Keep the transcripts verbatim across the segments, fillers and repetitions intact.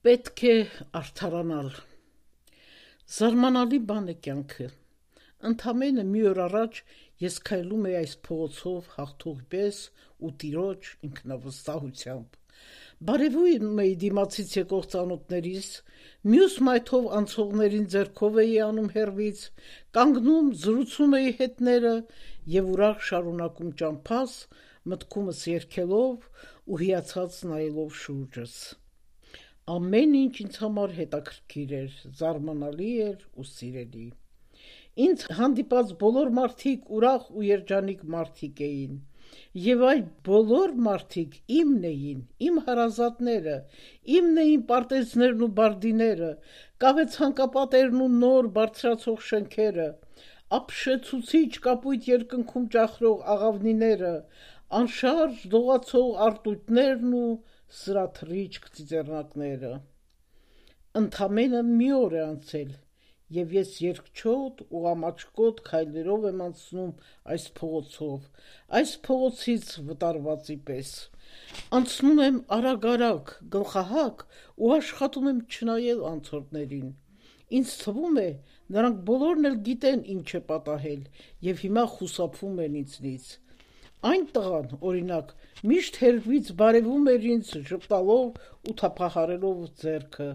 Պետք է արդարանալ։ Զարմանալի բան է կյանքը։ Ընդամենը մի օր առաջ ես քայլում էի այս փողոցով հաղթող պես ու տիրոջ ինքնավստահությամբ։ Բարևում էի դիմացից եկող ծանոթներիս, մյուս մայթով անցողներին ձեռքով էի անում հեռվից, կանգնում զրուցում էի հետները եւ ուրախ շարունակում ճամփաս, մտքումս երգելով ու հիացած նայելով շուրջս։ Ամեն ինչ ինձ համար հետաքրքիր էր, զարմանալի էր ու սիրելի։ Ինձ հանդիպած բոլոր մարդիկ ուրախ ու երջանիկ մարդիկ էին, եւ այդ բոլոր մարդիկ իմն էին, իմ հարազատները, իմն էին պարտեզներն ու բարդիները, կավե ցանկապատերն ու նոր բարձրացող շենքերը, ապշեցուցիչ կապույտ երկնքում ճախրող աղավնիները, անշարժ դողացող արտույտներն ու սրաթռիչք ծիծեռնակները։ Ընդամենը մի օր է անցել, եւ ես երկչոտ ու ամաչկոտ քայլերով եմ անցնում այս փողոցով, այս փողոցից վտարվածի պես։ Անցնում եմ արագ-արագ, գլխահակ ու աշխատում եմ չնայել անցորդներին։ Ինձ թվում է, նրանք բոլորն էլ գիտեն ինչ է պատահել եւ հիմա խուսափում են ինձնից։ Այն տղան, օրինակ, միշտ հեռվից բարևում էր ինձ ժպտալով ու թափահարելով ձեռքը,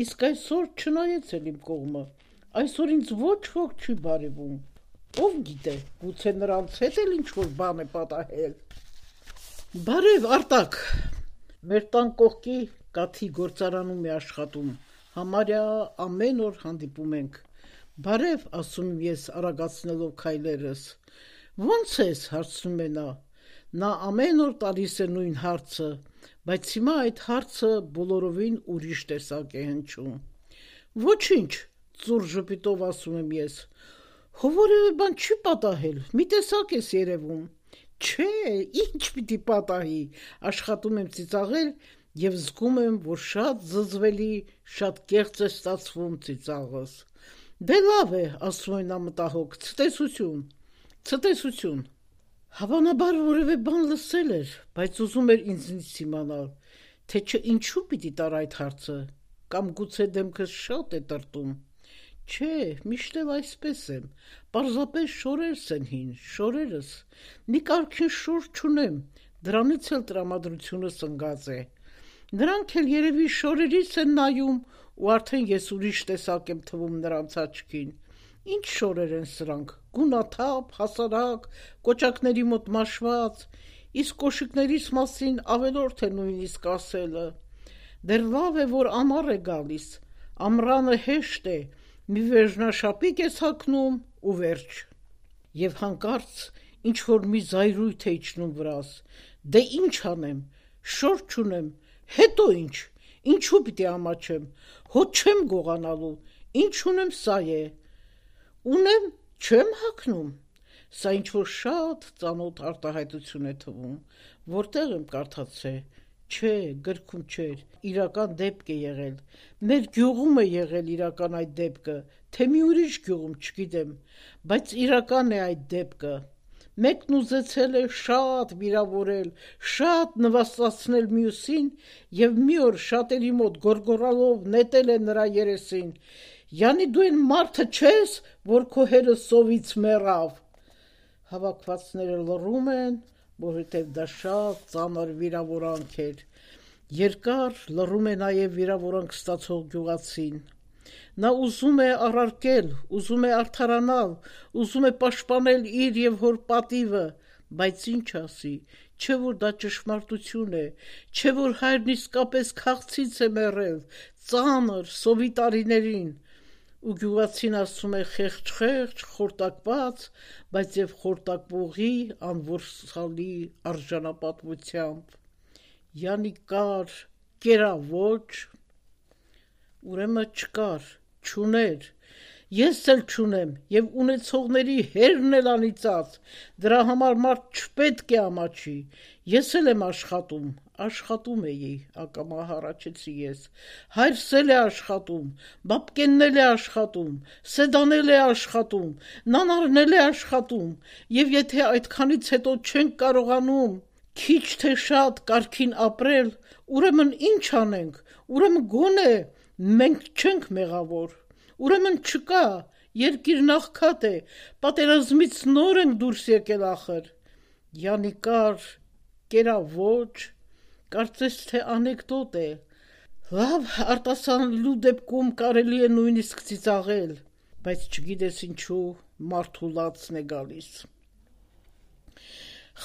իսկ այսօր չնայեց էլ իմ կողմը, այսօր ինձ ոչ ոք չի բարևում, ով գիտե, գուցե նրանց հետ էլ ինչ-որ բան է պատահել։ Բարև, Արտակ, մեր տան կողքի կաթի գործարանում է աշխատում, համարյա ամեն օր հանդիպում ենք։ Բարև, ասում եմ ես արագացնելով քայլերս։ Ո՞նց ես, հարցնում է նա։ Նա ամեն օր տալիս է նույն հարցը, բայց հիմա այդ հարցը բոլորովին ուրիշ տեսակ է հնչում։ Ոչինչ, ծուռ ժպիտով ասում եմ ես։ Հո որևէ բան չի պատահել, մի տեսակ ես երևում։ Չէ, ինչ պիտի պատահի, աշխատում եմ ծիծաղել եւ զգում եմ, որ շատ զզվելի, շատ կեղծ է ստացվում ծիծաղս։ Դե լավ է, ասում է նա մտահոգ, ցտեսություն, ցտեսություն։ Հավանաբար որևէ բան լսել էր, բայց ուզում էր ինձնից իմանալ, թե չէ ինչու պիտի տար այդ հարցը, կամ գուցե դեմքս շատ է տրտում։ Չէ, միշտ էլ այսպես եմ, պարզապես շորերս են հին, շորերս, մի կարգին շոր չունեմ, դրանից էլ տրամադրությունս ընկած է։ Նրանք էլ երևի շորերից են նայում ու արդեն ես ուրիշ տեսակ եմ թվում նրանց աչքին։ Ինչ շորեր են սրանք, գունաթափ, հասարակ, կոճակների մոտ մաշված, իսկ կոշիկներիս մասին ավելորդ է նույնիսկ ասելը։ Դեռ լավ է, որ ամառ է գալիս, ամռանը հեշտ է, մի վերջնաշապիկ ես հագնում ու վերջ։ Եվ հանկարծ ինչ-որ մի զայրույթ է իջնում վրաս, դե ինչ անեմ, շոր չունեմ, հետո ինչ, ինչու պիտի ամաչեմ, հոտ չեմ գողանալու, ինչ ունեմ սա է։ Ունեմ, չեմ հագնում։ Սա ինչ-որ շատ ծանոթ արտահայտություն է թվում, որտեղ եմ կարդացել, չէ, գրքում չէր, իրական դեպք է եղել, մեր գյուղում է եղել իրական այդ դեպքը, թե մի ուրիշ գյուղում, չգիտեմ, բայց իրական է այդ դեպքը։ Մեկն ուզեցել է շատ վիրավորել, շատ նվաստացնել մյուսին եւ մի օր շատերի մոտ գոռգոռալով նետել է նրա երեսին։ Յանի դու այն մարդը չես, որ քո հերը սովից մեռավ։ Հավաքվածները լռում են, որովհետև դա շատ ծանր վիրավորանք էր։ Երկար լռում է նաև վիրավորանք ստացող գյուղացին։ Նա ուզում է առարկել, ուզում է արդարանալ, ուզում է պաշտպանել իր եւ հոր պատիվը, բայց ինչ ասի, չէ որ դա ճշմարտություն է, չէ որ հայրն իսկապես քաղցից է մեռել, ծանր, սովի տարիներին։ Ու գյուղացին ասում է խեղճ-խեղճ, խորտակված, բայց եւ խորտակվողի անորսալի արժանապատվությամբ։ Յանի կար, կերա ոչ, ուրեմն չկար, չուներ, ես էլ չունեմ եւ ունեցողների հերն էլ անիծած, դրա համար մարդ չպետք է ամաչի, ես էլ եմ աշխատում, աշխատում էի, ակամա հառաչեցի ես, հայրս էլ է աշխատում, բաբկենն էլ է աշխատում, Սեդան էլ է աշխատում, նանարն էլ է աշխատում, եւ եթե այդքանից հետո չենք կարողանում, Քիչ թե շատ կարգին ապրել, ուրեմն ինչ անենք, ուրեմն գոնե մենք չենք մեղավոր, ուրեմն չկա, երկիրն աղքատ է, պատերազմից նոր ենք դուրս եկել ախր։ Յանիկար, կերավոճ, կարծես թե անեկդոտ է։ Լավ, արտասանելու դեպքում կարելի է նույնիսկ ծիծաղել, բայց չգիտես ինչու մարդու լացն է գալիս։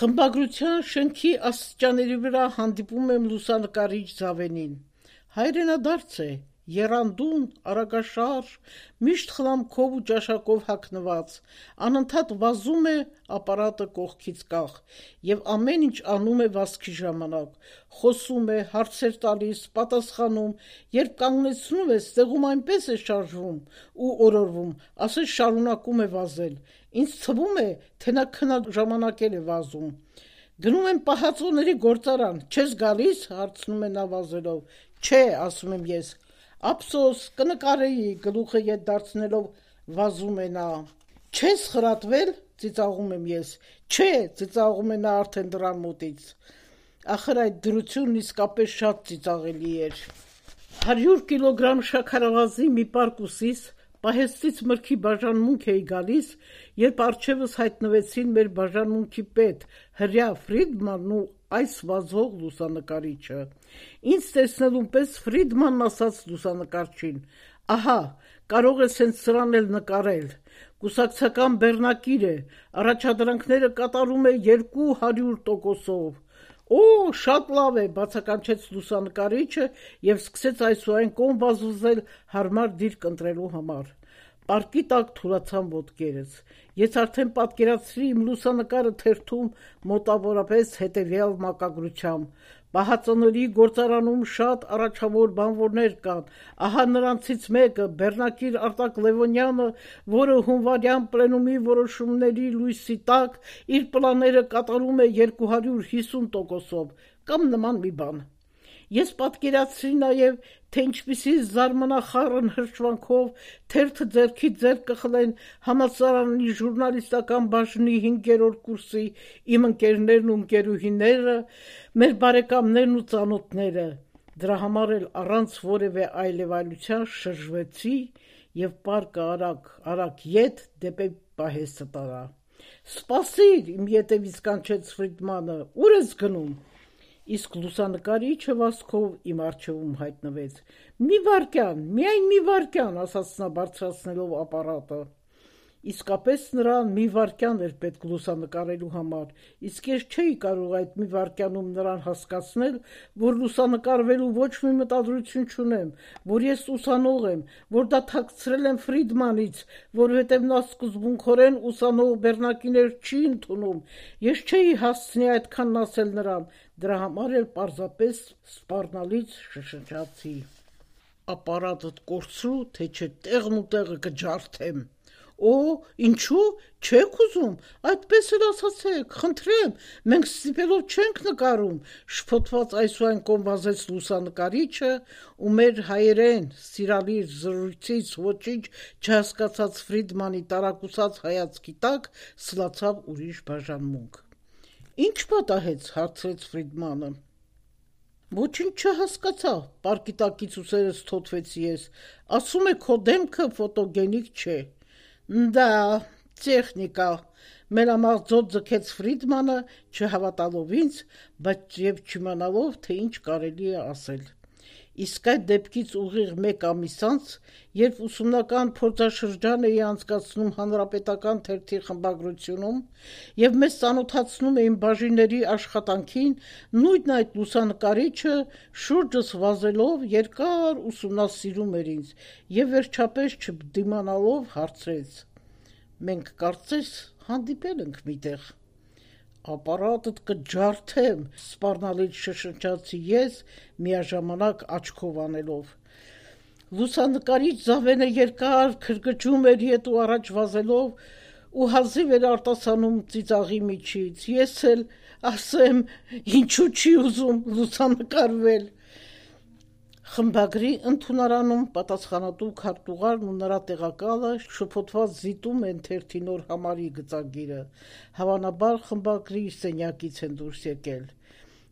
Խմբագրության շենքի աստիճանների վրա հանդիպում եմ լուսանկարիչ Զավենին։ Հայրենադարձ է, եռանդուն, արագաշարժ, միշտ խլամքով ու ճաշակով հագնված, անընդհատ վազում է ապարատը կողքից կախ և ամեն ինչ անում է վազքի ժամանակ, խոսում է, հարցեր տալիս, պատասխանում, երբ կանգնեցնում ես, տեղում այնպես է շարժվում ու օրորվում, ասես շարունակում է վազել, ինձ թվում է, թե նա քնաժամանակել է վազում։ Գնում եմ պահածոների գործարան, չես գալիս, հարցնում է նա վազելով, չէ, ասում եմ ես, ափսոս, կնկարեի, գլուխը ետ դարձնելով վազում է նա, չես խրատվել, ծիծաղում եմ ես, չէ, ծիծաղում է նա արդեն դռան մոտից, ախր այդ դրությունն իսկապես շատ ծիծաղելի էր։ Հարյուր կիլոգրամ շաքարավազի մի պարկ ուսիս պահեստից մրգի բաժանմունք էի գալիս, երբ առջևս հայտնվեցին մեր բաժանմունքի պետ Հրյա Ֆրիդմանն ու այս վազող լուսանկարիչը։ Ինձ տեսնելուն պես Ֆրիդմանն ասաց լուսանկարչին. «Ահա, կարող ես հենց սրան էլ նկարել, կուսակցական բեռնակիր է, առաջադրանքները կատարում է երկու հարյուր տոկոսով»։ «Օ, շատ լավ է», բացականչեց լուսանկարիչը և սկսեց այսուայն կողմ վազվզել հարմար դիրք ընտրելու համար։ Պարկի տակ թուլացան ոտքերս։ Ես արդեն պատկերացրի իմ լուսանկարը թերթում մոտավորապես հետևյալ մակագրությամբ. «Պահածոների գործարանում շատ առաջավոր բանվորներ կան, ահա նրանցից մեկը, բեռնակիր Արտակ Լևոնյանը, որը հունվարյան պլենումի որոշումների լույսի տակ իր պլանները կատարում է երկու հարյուր հիսուն տոկոսով» կամ նման մի բան։ Ես պատկերացրի նաև, թե ինչպիսի զարմանախառն հրճվանքով թերթը ձեռքից ձեռք կխլեն համալսարանի ժուրնալիստական բաժնի հինգերորդ կուրսի իմ ընկերներն ու ընկերուհիները, մեր բարեկամներն ու ծանոթները։ Դրա համար էլ առանց որևէ այլևայլության շրջվեցի և պարկը արագ-արագ ետ դեպի պահեստը տարա։ «Սպասիր», իմ ետևից կանչեց Ֆրիդմանը, «ուր ես գնում»։ Իսկ լուսանկարիչը վազքով իմ առջևում հայտնվեց։ «Մի վայրկյան, միայն մի վայրկյան», ասաց նա բարձրացնելով ապարատը։ Իսկապես նրան մի վայրկյան էր պետք լուսանկարելու համար, իսկ ես չէի կարող այդ մի վայրկյանում նրան հասկացնել, որ լուսանկարվելու ոչ մի մտադրություն չունեմ, որ ես ուսանող եմ, որ դատակցրել եմ Ֆրիդմանից, որովհետև նա սկզբունքորեն ուսանող բեռնակիներ չի ընդունում, ես չէի հասցնի այդքանն ասել նրան, դրա համար էլ պարզապես սպառնալից շշնջացի. «Ապարատդ կորցրու, թե չէ տեղն ու տեղը կջարդեմ»։ «Օ, ինչու՞, չեք ուզում, այդպես էլ ասացեք, խնդրեմ, մենք ստիպելով չենք նկարում», շփոթված այսուայն կողմ վազեց լուսանկարիչը, ու մեր հայերեն սիրալիր զրույցից ոչինչ չհասկացած Ֆրիդմանի տարակուսած հայացքի տակ սլացավ ուրիշ բաժանմունք։ «Ինչ պատահեց», հարցրեց Ֆրիդմանը։ «Ոչինչ չհասկացա», պարկի տակից ուսերս թոթվեցի ես, «ասում է քո դեմքը ֆոտոգենիկ չէ»։ «Դա, տեխնիկա», մելամաղձոտ ձգեց Ֆրիդմանը, չհավատալով ինձ, բայց և չիմանալով, թե ինչ կարելի է ասել։ Իսկ այդ դեպքից ուղիղ մեկ ամիս անց, երբ ուսումնական փորձաշրջան էի անցկացնում հանրապետական թերթի խմբագրությունում և մեզ ծանոթացնում էին բաժինների աշխատանքին, նույն այդ լուսանկարիչը շուրջս վազելով երկար ուսումնասիրում էր ինձ և վերջապես չդիմանալով հարցրեց. «Մենք կարծես հանդիպել ենք միտեղ»։ «Ապարատդ կջարդեմ», սպառնալից շշնջացի ես, միաժամանակ աչքով անելով։ Լուսանկարիչ Զավենը երկար քրքջում էր ետ ու առաջ վազելով ու հազիվ էր արտասանում ծիծաղի միջից։ Ես էլ ասեմ, ինչու չի ուզում լուսանկարվել։ Խմբագրի ընդունարանում պատասխանատու քարտուղարն ու նրա տեղակալը շփոթված զիտում են թերթի նոր համարի գծագիրը, հավանաբար խմբագրի սենյակից են դուրս եկել։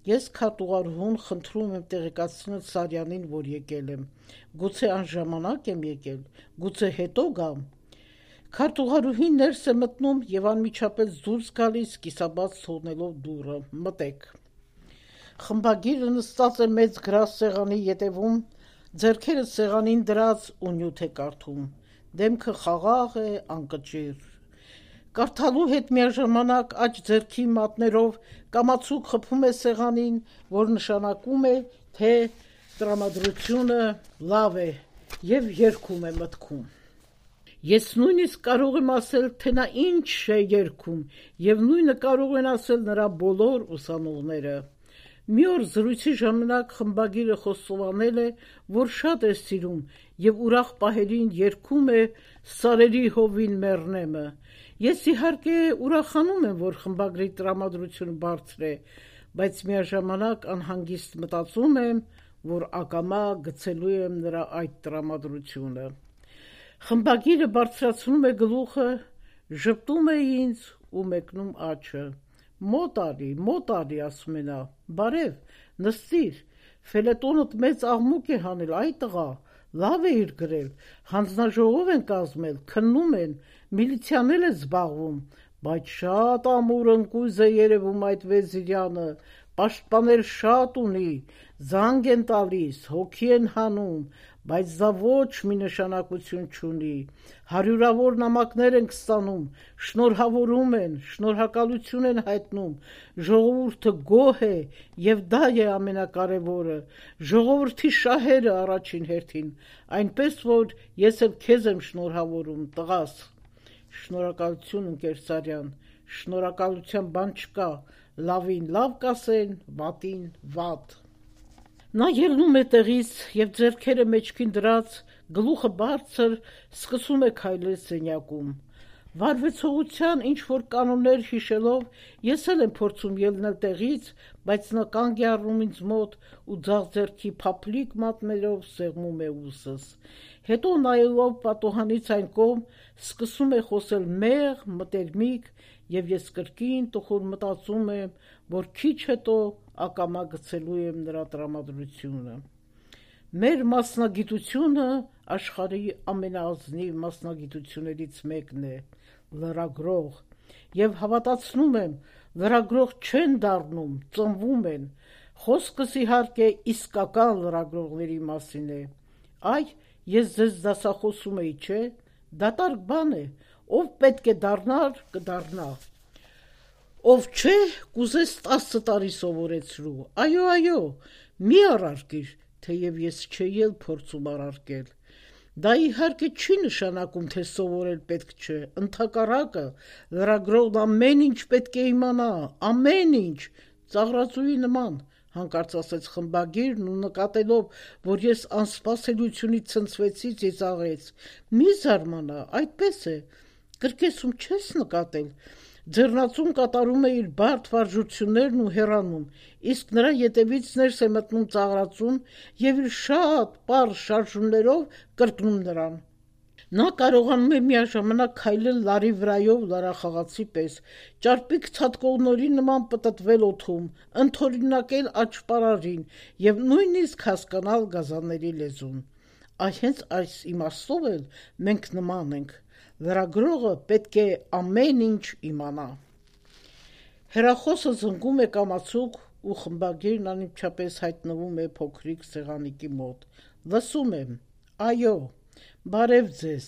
Ես քարտուղարուհուն խնդրում եմ տեղեկացնել Սարյանին, որ եկել եմ։ Գուցե անժամանակ եմ եկել, գուցե հետո գամ։ Քարտուղարուհին ներս է մտնում եւ անմիջապես դուրս գալիս, կիսաբաց թողնելով դուռը։ Մտեք։ Խմբագիրը նստած է մեծ գրասեղանի ետևում, ձեռքերը սեղանին դրած ու նյութ է կարդում։ Դեմքը խաղաղ է, անկճիռ։ Կարդալու հետ միաժամանակ աջ ձեռքի մատներով կամացուկ խփում է սեղանին, որ նշանակում է, թե տրամադրությունը լավ է, եւ երգում է մտքում։ Ես նույնիսկ կարող եմ ասել, թե նա ինչ է երգում, եւ նույնը կարող են ասել նրա բոլոր ուսանողները։ Մի օր զրույցի ժամանակ խմբագիրը խոստովանել է, որ շատ է սիրում եւ ուրախ պահերին երգում է «Սարերի հովին մեռնեմը»։ Ես իհարկե ուրախանում եմ, որ խմբագրի տրամադրությունը բարձր է, բայց միաժամանակ անհանգիստ մտածում եմ, որ ակամա գցելու եմ նրա այդ տրամադրությունը։ Խմբագիրը բարձրացնում է գլուխը, ժպտում է ինձ ու մեկնում աչը։ Մոտ արի, մոտ արի, ասում է նա, բարև, նստիր, ֆելետոնդ մեծ աղմուկ է հանել, այ տղա, լավ է իր գրել, հանձնաժողով են կազմել, քննում են, միլիցիան էլ է զբաղվում, բայց շատ ամուր ընկույզ է երևում այդ Վեզիրյանը, պաշտպանել շատ ունի, զանգ են տալիս, հոգի են հանում, բայց դա ոչ մի նշանակություն չունի, հարյուրավոր նամակներ ենք ստանում, շնորհավորում են, շնորհակալություն են հայտնում, ժողովուրդը գոհ է եւ դա է ամենակարևորը, ժողովրդի շահերը առաջին հերթին, այնպես որ ես էլ քեզ եմ շնորհավորում, տղաս։ Շնորհակալություն, ընկեր Սարյան, շնորհակալության բան չկա, լավին լավ կասեն, վատին վատ։ Նա ելնում է տեղից եւ ձեռքերը մեջքին դրած, գլուխը բարձր, սկսում է քայլել սենյակում։ Վարվեցողության ինչ-որ կանոններ հիշելով, ես էլ եմ փորձում ելնել տեղից, բայց նա կանգ է առնում ինձ մոտ ու ձախ ձեռքի փափլիկ մատներով սեղմում է ուսս։ Հետո նայելով պատոհանից այն կողմ, սկսում է խոսել մեղ, մտերմիկ, եւ ես կրկին տխուր մտածում եմ, որ քիչ հետո ակամա գցելու եմ նրա տրամադրությունը։ Մեր մասնագիտությունը աշխարհի ամենաազնիվ մասնագիտություններից մեկն է, լրագրող, եւ հավատացնում եմ, լրագրող չեն դառնում, ծնվում են։ Խոսքս իհարկե իսկական լրագրողների մասին է։ Այ, ես ձեզ դասախոսում էի, չէ՞, դատարկ բան է, ով պետք է դառնար, կդառնա։ Ով չէ, կուզես տասը տարի սովորեցրու։ Այո, այո, մի առարկիր, թեև ես չէի էլ փորձում առարկել։ Դա իհարկե չի նշանակում, թե սովորել պետք չէ, ընդհակառակը, լրագրողն ամեն ինչ պետք է իմանա, ամեն ինչ, ծաղրածուի նման, հանկարծ ասեց խմբագիրն ու նկատելով, որ ես անսպասելիությունից ցնցվեցի, ծիծաղեց։ Մի զարմանա, այդպես է, կրկեսում չես նկատել։ Ձեռնածուն կատարում է իր բարդ վարժություններն ու հեռանում, իսկ նրա ետևից ներս է մտնում ծաղրածուն եւ իր շատ պարզ շարժումներով կրկնում նրան։ Նա կարողանում է միաժամանակ քայլել լարի վրայով լարախաղացի պես, ճարպիկ ցատկողնորի նման պտտվել օդում, ընդօրինակել աճպարարին եւ նույնիսկ հասկանալ գազանների լեզուն։ Այ հենց այս իմաստով էլ մենք նման ենք։ Լրագրողը պետք է ամեն ինչ իմանա։ Հեռախոսը զնգում է կամացուկ ու խմբագիրն անմիջապես հայտնվում է փոքրիկ սեղանիկի մոտ։ Լսում եմ։ Այո, բարև ձեզ։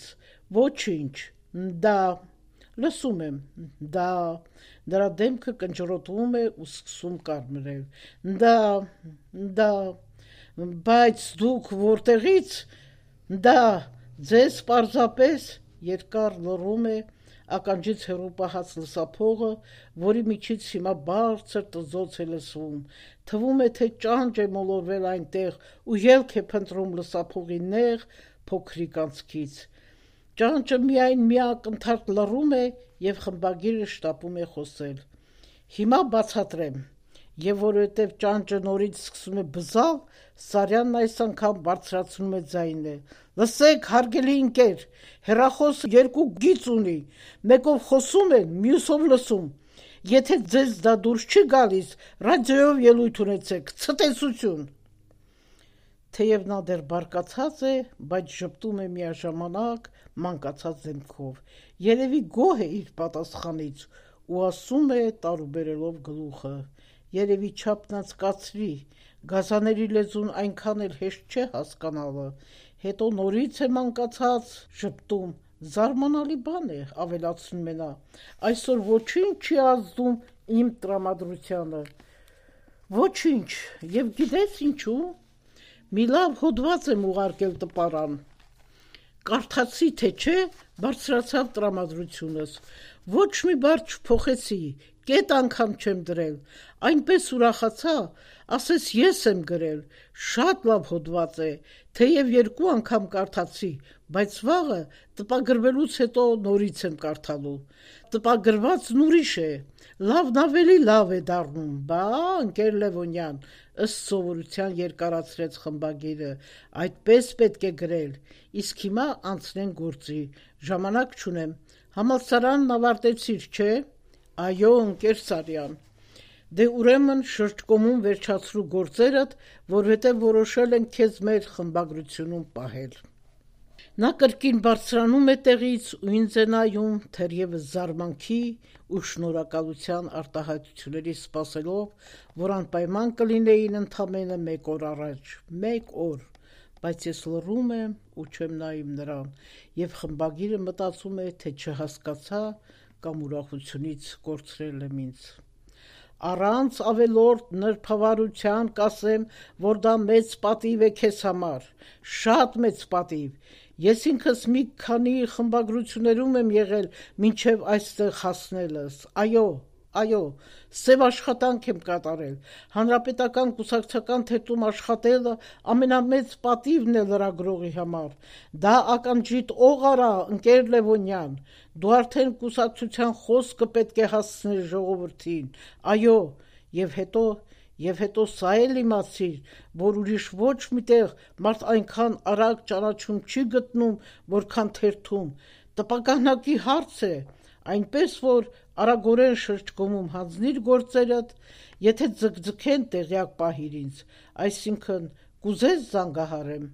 Ոչինչ։ Դա։ Լսում եմ։ Դա։ Դրա դեմքը կնճռոտվում է ու սկսում կարմրել։ Դա։ Դա։ Բայց դուք որտեղից։ Դա։ Ձեզ պարզապես երկար լռում է, ականջից հեռու պահած լսափողը, որի միջից հիմա բարձր տզոց է լսվում, թվում է, թե ճանճ է մոլորվել այնտեղ ու ելք է փնտրում լսափողի նեղ, փոքրիկ անցքից։ Ճանճը միայն մի ակնթարթ լռում է եւ խմբագիրը շտապում է խոսել։ Հիմա բացատրեմ։ Եվ որովհետև ճանճը նորից սկսում է բզալ, Սարյանն այս անգամ բարձրացնում է ձայնը։ Լսեք, հարգելի ընկեր, հեռախոսը երկու գիծ ունի, մեկով խոսում են, մյուսով լսում։ եթե ձեզ դա դուրս չի գալիս, ռադիոյով ելույթ ունեցեք, ցտեսություն։ Թեև նա դեռ բարկացած է, բայց ժպտում է միաժամանակ մանկացած դեմքով, երևի գոհ է իր պատասխանից ու ասում է տարուբերելով գլուխը, երևի չափնացկացրի, գազաների լեզուն այնքան էլ հեշտ չէ հասկանալը, հետո նորից է մանկացած ժպտում, զարմանալի բան է, ավելացնում է նա, այսօր ոչինչ չի ազդում իմ տրամադրությանը, ոչինչ, և գիտես ինչու, մի լավ հոդված եմ ուղարկել տպարան, կարդացի թե չէ, բարձրացավ տրամադրությունս, ոչ մի բառ չփոխեցի, կետ անգամ չեմ դրել, այնպես ուրախացա, ասես ես եմ գրել, շատ լավ հոդված է, թեև երկու անգամ կարդացի, բայց վաղը տպագրվելուց հետո նորից եմ կարդալու, տպագրվածն ուրիշ է, լավն ավելի լավ է դառնում, բա, ընկեր Լևոնյան, ըստ սովորության երկարացրեց խմբագիրը, այդպես պետք է գրել, իսկ հիմա անցնենք գործի, ժամանակ չունեմ, համալսարանն ավարտեցիր, չէ, այո, ընկեր Սարյան, դե ուրեմն շրջկոմում վերջացրու գործերդ, որովհետև որոշել ենք քեզ մեր խմբագրությունում պահել։ Նա կրկին բարձրանում է տեղից ու ինձ է նայում, թերևս զարմանքի ու շնորհակալության արտահայտությունների սպասելով, որ անպայման կլինեին ընդամենը մեկ օր առաջ, մեկ օր, բայց ես լռում եմ ու չեմ նայում նրան, և խմբագիրը մտածում է, թե չհասկացա կամ ուրախությունից կորցրել եմ ինձ։ Առանց ավելորդ նրբավարության կասեմ, որ դա մեծ պատիվ է քեզ համար, շատ մեծ պատիվ, ես ինքս մի քանի խմբագրություններում եմ եղել մինչև այստեղ հասնելս, այո, այո, սև աշխատանք եմ կատարել, հանրապետական կուսակցական թերթում աշխատելը ամենամեծ պատիվն է լրագրողի համար, դա ականջիդ օղ արա, ընկեր Լևոնյան, դու արդեն կուսակցության խոսքը պետք է հասցնես ժողովրդին, այո, և հետո, և հետո սա էլ իմացիր, որ ուրիշ ոչ միտեղ մարդ այնքան արագ ճանաչում չի գտնում, որքան թերթում, տպականակի հարց է, այնպես որ արագորեն շրջկոմում հանձնիր գործերդ, եթե ձգձգեն տեղյակ պահիր ինձ, այսինքն կուզես զանգահարեմ,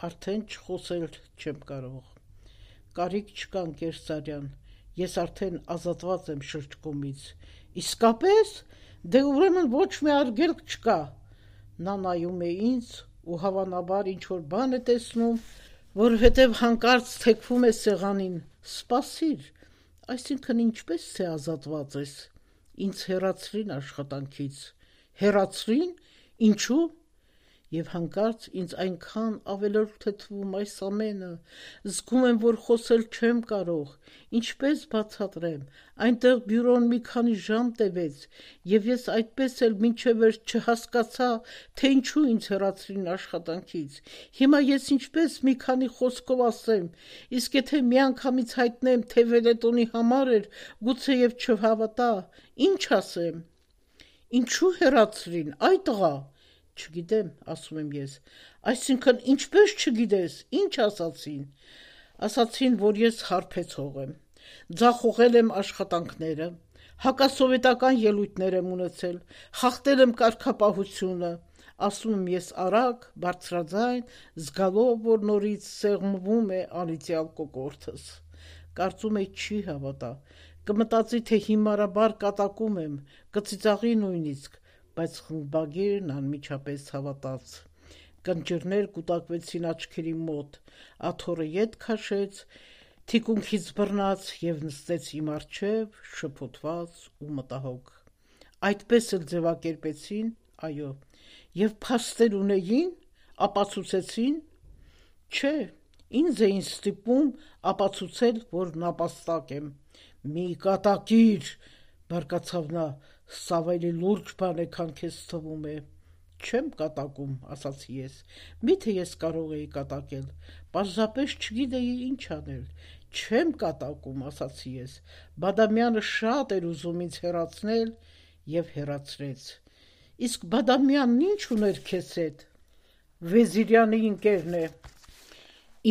արդեն չխոսել չեմ կարող, կարիք չկա ընկեր Սարյան, ես արդեն ազատված եմ շրջկոմից, իսկապես, դե ուրեմն ոչ մի արգելք չկա, նա նայում է ինձ ու հավանաբար ինչ-որ բան է տեսնում, որովհետև հանկարծ թեքվում է սեղանին, սպասիր, այսինքն ինչպես թե ազատված ես, ինձ հեռացրին աշխատանքից, հեռացրին, ինչու, և հանկարծ ինձ այնքան ավելորդ է թվում այս ամենը, զգում եմ, որ խոսել չեմ կարող, ինչպես բացատրեմ, այնտեղ բյուրոն մի քանի ժամ տևեց, և ես այդպես էլ մինչև վերջ չհասկացա, թե ինչու ինձ հեռացրին աշխատանքից, հիմա ես ինչպես մի քանի խոսքով ասեմ, իսկ եթե միանգամից հայտնեմ, թե Վենետոնի համար էր, գուցեև չհավատա, ինչ ասեմ, ինչու հեռացրին, այ տղա, չգիտեմ, ասում եմ ես, այսինքն ինչպես չգիտես, ինչ ասացին, ասացին, որ ես հարբեցող եմ, ձախողել եմ աշխատանքները, հակասովետական ելույթներ եմ ունեցել, խախտել եմ կարգապահությունը, ասում եմ ես արագ, բարձրաձայն, զգալով, որ նորից սեղմվում է անիծյալ կոկորդս, կարծում է չի հավատա, կմտածի, թե հիմարաբար կատակում եմ, կծիծաղի նույնիսկ, բայց խմբագիրն անմիջապես հավատաց, կնճիռներ կուտակվեցին աչքերի մոտ, աթոռը ետ քաշեց, թիկունքից բռնած և նստեց իմ առջև, շփոթված ու մտահոգ, այդպես էլ ձևակերպեցին, այո, և փաստեր ունեին, ապացուցեցին, չէ, ինձ էին ստիպում ապացուցել, որ նապաստակ եմ, մի կատակիր, բարկացավ նա, սա ավելի լուրջ բան է, քան քեզ թվում է, չեմ կատակում, ասացի ես, միթե ես կարող էի կատակել, պարզապես չգիտեի ինչ անել, չեմ կատակում, ասացի ես, Բադամյանը շատ էր ուզում ինձ հեռացնել և հեռացրեց, իսկ Բադամյանն ինչ ուներ քեզ հետ, Վեզիրյանի ընկերն է,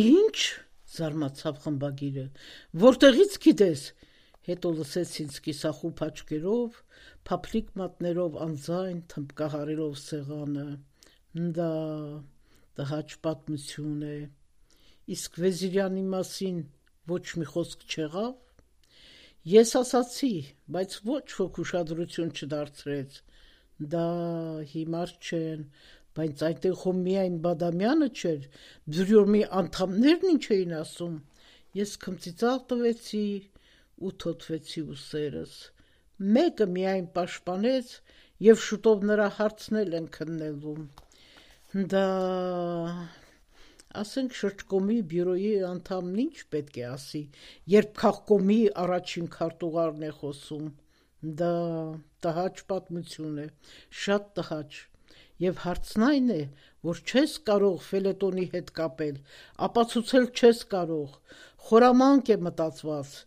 ինչ, զարմացավ խմբագիրը, որտեղից գիտես, հետո լսեց ինձ կիսախուփ աչքերով, փափլիկ մատներով անձայն թմբկահարելով սեղանը. «Դա տհաճ պատմություն է, իսկ Վեզիրյանի մասին ոչ մի խոսք չեղավ»։ Ես ասացի, բայց ոչ ոք ուշադրություն չդարձրեց. «Դա հիմար չեն, բայց այնտեղ հո միայն Բադամյանը չէր, բյուրոյի անդամներն ինչ էին ասում»։ Ես քմծիծաղ տվեցի ու թոթվեցի ուսերս։ Մեկը միայն պաշտպանեց և շուտով նրա հարցն են քննելու։ Դա, ասենք, շրջկոմի բյուրոյի անդամն ինչ պետք է ասի, երբ քաղկոմի առաջին քարտուղարն է խոսում։ Դա տհաճ պատմություն է, շատ տհաճ, և հարցն այն է, որ չես կարող ֆելետոնի հետ կապել, ապացուցել չես կարող, խորամանկ է մտածված,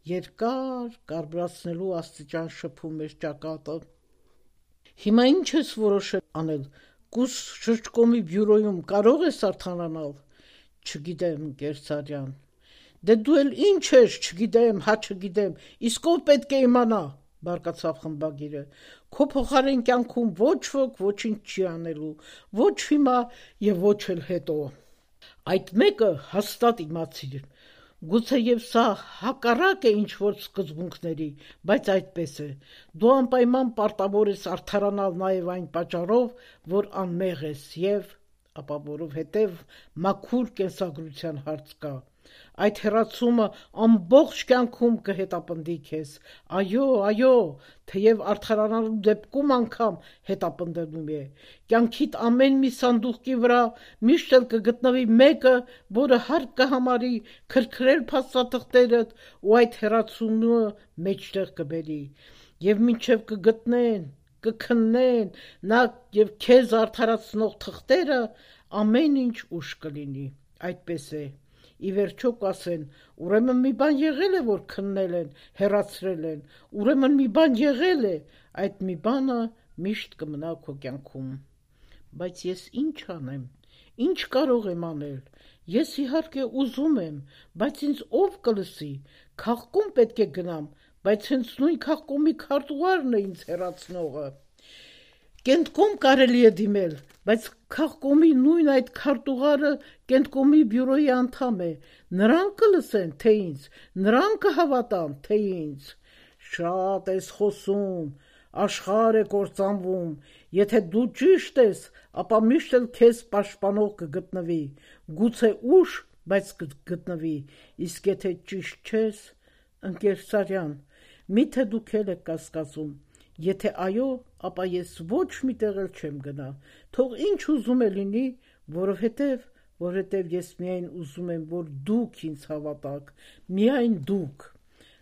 երկար կարբրացնելու աստիճան շփում էր ճակատը։ Հիմա ինչ ես որոշել անել, կուս շրջկոմի բյուրոյում կարո՞ղ ես արդարանալ։ Չգիտեմ, Գերցարյան։ Դե դու էլ ինչ ես, չգիտեմ, հա չգիտեմ, իսկ ով պետք է իմանա, բարկացավ խմբագիրը։ Քո փոխարեն կյանքում ոչ ոք ոչինչ չի անելու, ոչ հիմա և ոչ էլ հետո։ Այդ մեկը հաստատ իմացիր, գուցեև սա հակառակ է ինչ-որ սկզբունքների, բայց այդպես է։ Դու անպայման պարտավոր ես արդարանալ նաև այն պատճառով, որ անմեղ ես և, ապա որովհետև մաքուր կենսագրության հարց կա։ Այդ հեռացումը ամբողջ կյանքում կհետապնդի քեզ։ Այո, այո, թեև արդարանալու դեպքում անգամ հետապնդելու է։ Կյանքիդ ամեն մի սանդուղքի վրա միշտ էլ կգտնվի մեկը, որը հարկ կհամարի քրքրել փաստաթղթերդ ու այդ հեռացումը մեջտեղ կբերի։ Եվ մինչև կգտնեն, կքննեն նա և քեզ արդարացնող թղթերը, ամեն ինչ ուշ կլինի։ Այդպես է։ Ի վերջո կասեն, ուրեմն մի բան եղել է, որ քննել են, հեռացրել են, ուրեմն մի բան եղել է, այդ մի բանը միշտ կմնա քո կյանքում։ Բայց ես ինչ անեմ, ինչ կարող եմ անել։ Ես իհարկե ուզում եմ, բայց ինձ ով կլսի։ Քաղկոմ պետք է գնամ, բայց հենց նույն քաղկոմի քարտուղարն է ինձ հեռացնողը։ Կենտկոմ կարելի է դիմել, բայց քաղկոմի նույն այդ քարտուղարը Կենտկոմի բյուրոյի անդամ է, նրանք կլսեն, թե ինձ, նրանք կհավատան, թե ինձ։ Շատ ես խոսում, աշխարհ է կործանվում, եթե դու ճիշտ ես, ապա միշտ էլ քեզ պաշտպանող կգտնվի, գուցե ուշ, բայց կգտնվի, իսկ եթե ճիշտ չես, ընկեր Սարյան, միթե դուք էլ եք կասկածում, եթե այո, ապա ես ոչ մի տեղ էլ չեմ գնա, թող ինչ ուզում է լինի, որովհետև, որովհետև ես միայն ուզում եմ, որ դուք ինձ հավատաք, միայն դուք։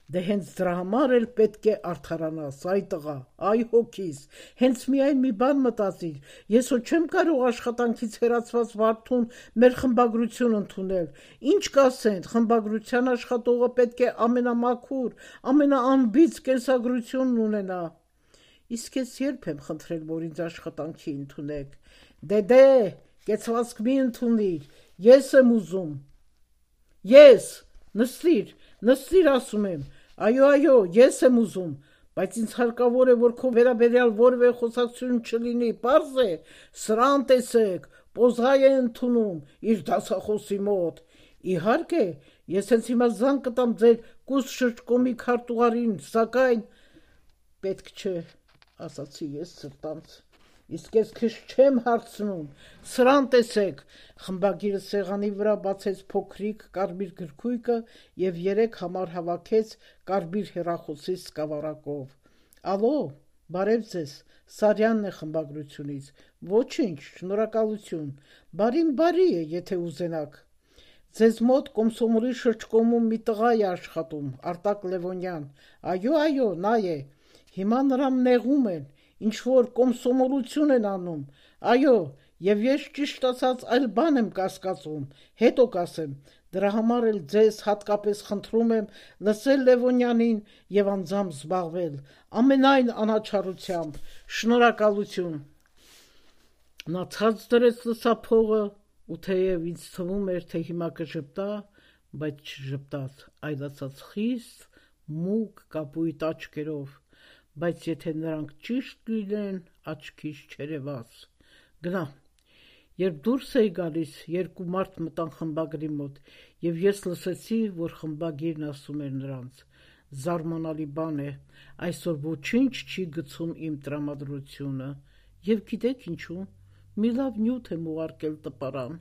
Դե հենց դրա համար էլ պետք է արդարանաս, այ տղա, այ հոգիս, հենց միայն մի բան մտածիր, ես հո չեմ կարող աշխատանքից հեռացված վարդուն մեր խմբագրություն ընդունել, ինչ կասեն, խմբագրության աշխատողը պետք է ամենամաքուր, ամենաանբիծ կենսագրությունն ունենա։ Իսկ ես երբ եմ խնդրել, որ ինձ աշխատանքի ընդունեք։ Դե դե, կեցվածք մի ընդունիր, ես եմ ուզում։ Ես, նստիր, նստիր ասում եմ, այո, այո, ես եմ ուզում, բայց ինձ հարկավոր է, որ քո վերաբերյալ որևէ խոսակցություն չլինի, պարզ է, սրան տեսեք, պոզղայ է ընդունում իր դասախոսի մոտ։ Իհարկե, ես հենց հիմա զանգ կտամ ձեր կուս շրջկոմի քարտուղարին, սակայն պետք չէ, ասացի ես սրտանց, իսկ ես քեզ չեմ հարցնում, սրան տեսեք, խմբագիրը սեղանի վրա բացեց փոքրիկ կարմիր գրքույկը և երեք համար հավաքեց կարմիր հեռախոսի սկավառակով։ Ալո, բարև ձեզ, Սարյանն է խմբագրությունից, ոչինչ, շնորհակալություն, բարին բարի է, եթե ուզենաք։ Ձեզ մոտ Կոմսոմոլի շրջկոմում մի տղա է աշխատում, Արտակ Լևոնյան, այո, այո, նա է, հիմա նրան նեղում են, ինչ-որ կոմսոմոլություն են անում, այո, և ես ճիշտ ասած այլ բան եմ կասկածում, հետո կասեմ, դրա համար էլ ձեզ հատկապես խնդրում եմ լսել Լևոնյանին և անձամբ զբաղվել, ամենայն անաչառությամբ, շնորհակալություն։ Նա ցած դրեց լսափողը, ու թեև ինձ թվում էր, թե հիմա կժպտա, բայց չժպտաց, այլացած խիստ, մուգ կապույտ աչքերով, բայց եթե նրանք ճիշտ լինեն, աչքից չերևաս։ Գնա։ Երբ դուրս էի գալիս, երկու մարդ մտան խմբագրի մոտ, և ես լսեցի, որ խմբագիրն ասում էր նրանց. «Զարմանալի բան է, այսօր ոչինչ չի գցում իմ տրամադրությունը, և գիտեք ինչու, մի լավ նյութ եմ ուղարկել տպարան»։